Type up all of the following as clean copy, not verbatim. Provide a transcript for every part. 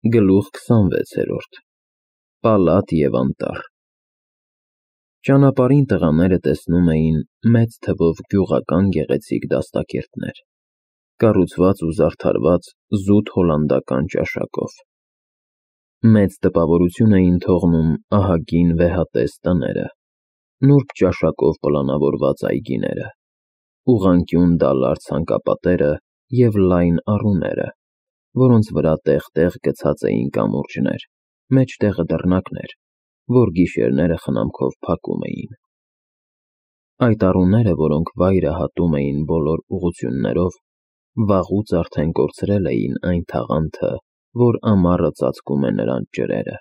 Գլուխ 26 Պալատ և անտառ Ճանապարհին տղաները տեսնում էին մեծ թվով գյուղական գեղեցիկ դաստակերտներ, կառուցված ու զարդարված զուտ հոլանդական ճաշակով. մեծ տպավորություն էին թողնում ահագին վեհատես տները, նուրբ ճաշակով պլանավորված այգիները, ուղղանկյուն դալար ցանկապատերը և լայն առուները, որոնց վրա տեղ-տեղ գցած էին կամուրջներ, մեջտեղը դռնակներ, որ գիշերները խնամքով փակում էին. Այդ առուները, որոնք վայրը հատում էին բոլոր ուղղություններով, վաղուց արդեն կորցրել էին այն թաղանթը, որ ամառը ծածկում է նրանց ջրերը,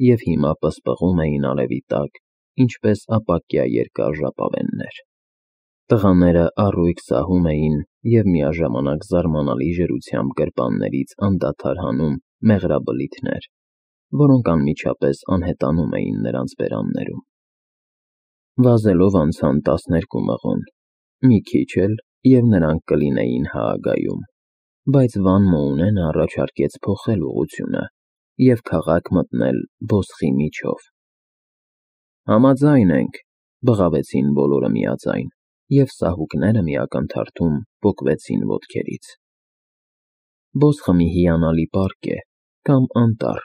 և հիմա պսպղում էին արևի տակ, ինչպես ապակյա երկար ժապավեններ. Տղաները առույգ սահում էին և միաժամանակ զարմանալի ջրությամբ գրպաններից անդադար հանում մեղրաբլիթներ, որոնք անմիջապես անհետանում էին նրանց բերաններում. Վազելով անցան 12 մղոն, մի քիչ էլ և նրանք կլինեին Հաագայում, բայց Վան Մոունենը առաջարկեց փոխել ուղղությունը և քաղաք մտնել Բոսխի միջով: Համաձայն ենք, բղավեցին բոլորը միաձայն, և սահուկները մի ակնթարթում պոկվեցին ոտքերից: Բոսխը մի հիանալի պարկ է, կամ անտառ,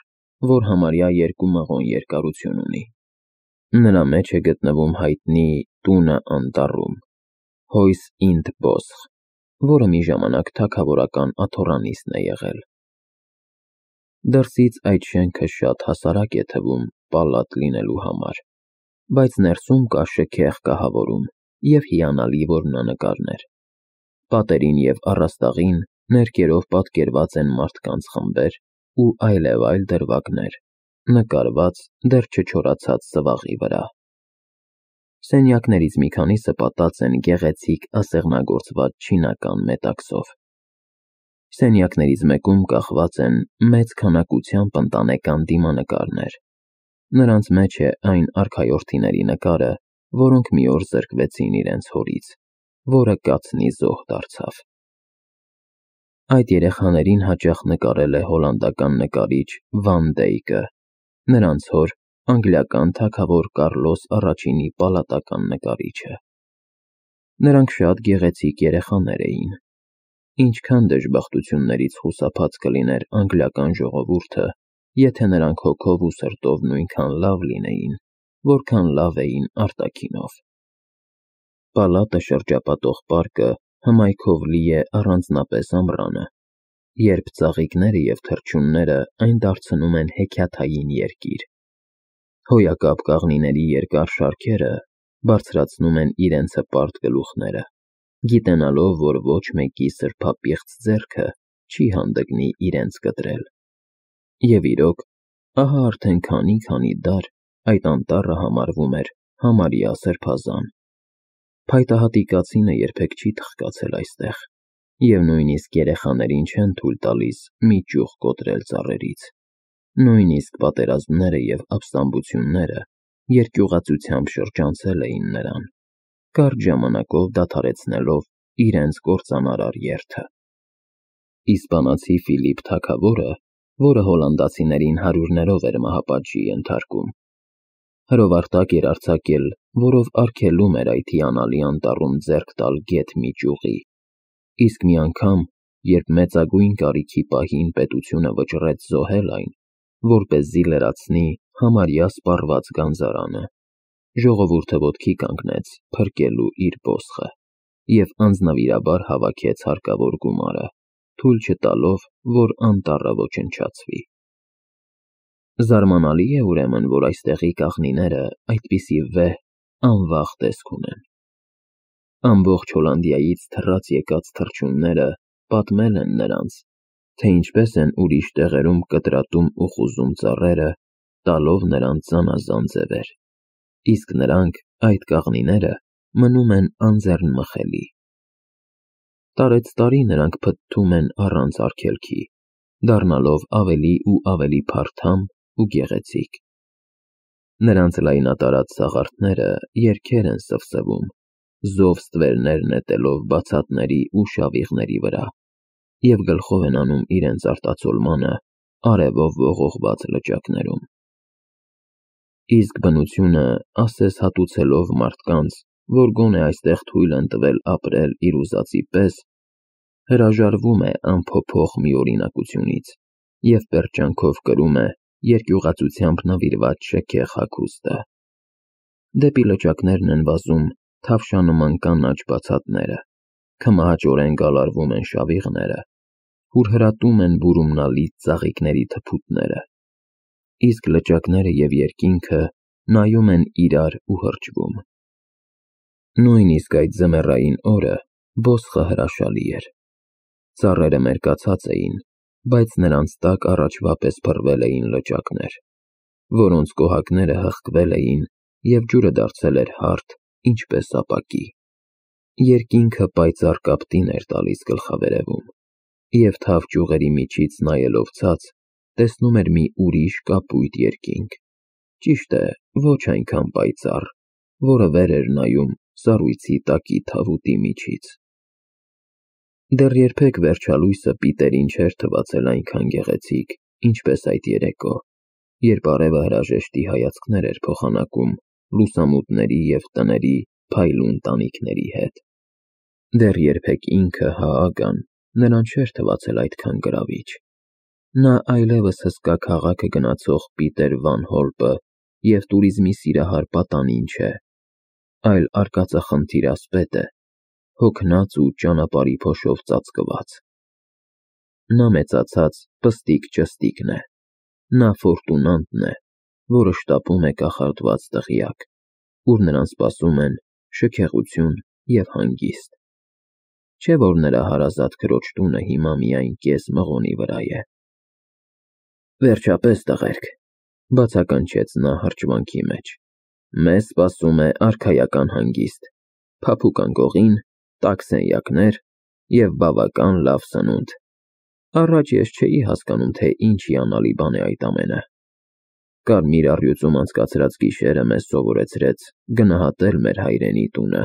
որ համարյա 2 մղոն երկարություն ունի: Նրա մեջ է գտնվում հայտնի Տունը անտառում (Հոյս ինդ Բոսխ), որը մի ժամանակ թագավորական աթոռանիցն է եղել: Դրսից այդ շենքը շատ հասարակ է թվում պալատ լինելու համար, բայց ներսում կա շքեղ կահավորում և հիանալի որմնանկարներ: Պատերին և առաստաղին ներկերով պատկերված են մարդկանց խմբեր ու այլևայլ դրվագներ, նկարված դեռ չչորացած ծվաղի վրա: Սենյակներից մի քանիսը պատած են գեղեցիկ ասեղնագործված չինական մետաքսով: Սենյակներից մեկում կախված են մեծ քանակությամբ ընտանեկան դիմանկարներ, նրանց մեջ է այն արքայորդիների նկարը, որոնք մի օր զրկվեցին իրենց հորից, որը կացնի զոհ դարձավ: Այդ երեխաներին հաճախ նկարել է հոլանդական նկարիչ Վան Դեյկը, նրանց հոր, անգլիական թագավոր Կարլոս Առաջինի պալատական նկարիչը: Նրանք շատ գեղեցիկ երեխաներ էին: Ինչքան դժբախտություններից խուսափած կլիներ անգլիական ժողովուրդը, եթե նրանք հոգով ու սրտով նույնքան լավ լինեին, որքան լավ էին արտաքինով: Պալատը շրջապատող պարկը հմայքով լի է առանձնապես ամռանը, երբ ծաղիկները և թռչունները այն դարձնում են հեքիաթային երկիր: Հոյակապ կաղնիների երկար շարքերը բարձրացնում են իրենց հպարտ գլուխները, գիտենալով, որ ոչ մեկի սրբապիղծ ձեռքը չի հանդգնի իրենց կտրել: Եվ իրոք, ահա արդեն քանի դար այդ անտառը համարվում էր համարյա սրբազան: Փայտահատիկ կացինը երբեք չի թխկացել այստեղ, և նույնիսկ երեխաներին չեն թույլ տալիս մի ճյուղ կոտրել ծառերից: Նույնիսկ պատերազմները և ապստամբությունները երկյուղածությամբ շրջանցել էին նրան, կարճ ժամանակով դադարեցնելով իրենց կործանարար երթը: Իսպանացի Ֆիլիպ թագավորը, որը հոլանդացիներին հարյուրներով էր մահապատժի ենթարկում, հրովարտակ էր արձակել, որով արգելում էր այդ հիանալի անտառում ձեռք տալ գեթ մի ճյուղի, իսկ մի անգամ, երբ մեծագույն կարիքի պահին պետությունը վճռեց զոհել այն, որպեսզի լրացնի համարյա սպառված գանձարանը, ժողովուրդը ոտքի կանգնեց փրկելու իր Բոսխը և անձնվիրաբար հավաքեց հարկավոր գումարը, թույլ չտալով, որ անտառը ոչնչացվի: Զարմանալի է ուրեմն, որ այստեղի կաղնիները այդպիսի վեհ, անվախ տեսք ունեն: Ամբողջ Հոլանդիայից թռած եկած թռչունները պատմել են նրանց, թե ինչպես են ուրիշ տեղերում կտրատում ու խուզում ծառերը, տալով նրանց զանազան ձևեր, իսկ նրանք, այդ կաղնիները, մնում են անձեռնմխելի: Տարեցտարի նրանք փթթում են առանց արգելքի, դառնալով ավելի ու ավելի փարթամ ու գեղեցիկ: Նրանց լայնատարած սաղարթները երգեր են սվսվում, զով ստվերներ նետելով բացատների ու շավիղների վրա, և գլխով են անում իրենց արտացոլմանը, արևով ողողված լճակներում։ Իսկ բնությունը, ասես հատուցելով մարդկանց, որ գոնե այստեղ թույլ են տվել ապրել իր ուզածի պես, հրաժարվում է անփոփոխ մի օրինակությունից և պերճանքով կրում է երկյուղածությամբ նվիրված շքեղ հագուստը։ Դեպի լճակներն են վազում թավշանման կանաչ բացատները, քմահաճորեն գալարվում են շավիղները, հուրհրատում են բուրումնալից ծաղիկների թփուտները, իսկ լճակները և երկինքը նայում են իրար ու հրճվում։ Նույնիսկ այդ ձմեռային օրը ոսխը հրաշալի էր։ Ծառերը մերկացած էին, բայց նրանց տակ առաջվա պես փռվել էին լճակներ, որոնց կոհակները հղկվել էին և ջուրը դարձել էր հարթ, ինչպես ապակի։ Երկինքը պայծառ կապտին էր տալիս գլխավերևում, և թավ ճյուղերի միջից նայելով ցած, տեսնում էր մի ուրիշ կապույտ երկինք, ճիշտ է, ոչ այնքան պայծառ, որը վեր էր նայում սառույցի տակի թավուտի միջից։ Դեռ երբեք վերջալույսը Պիտերին չէր թվացել այնքան գեղեցիկ, ինչպես այդ երեկո, երբ արևը հրաժեշտի հայացքներ էր փոխանակում լուսամուտների և տների փայլուն տանիքների հետ։ Դեռ երբեք ինքը Հաագան նրան չէր թվացել այդքան գրավիչ։ Նա այլևս հսկա քաղաքը գնացող Պիտեր Վան Հոլպը և տուրիզմի սիրահար պատանին չէ, այլ արկածախնդիր ասպետ է, հոգնած ու ճանապարհի փոշով ծածկված։ Նա մեծացած պստիկ ճստիկն է, նա Ֆորտունանտն է, որը շտապում է կախարդված դղյակ, ուր նրան սպասում են շքեղություն և հանգիստ։ Չէ՞ որ նրա հարազատ քրոջ տունը հիմա միայն կես մղոնի վրա է։ Վերջապես, տղերք, բացականչեց նա հրճվանքի մեջ, մեզ սպասում է արքայական հանգիստ, փափուկ անկողին, տաք սենյակներ և բավական լավ սնունդ։ Առաջ ես չէի հասկանում, թե ինչ հիանալի բան է այդ ամենը։ Կարմիր առյուծում անցկացրած գիշերը մեզ սովորեցրեց գնահատել մեր հայրենի տունը։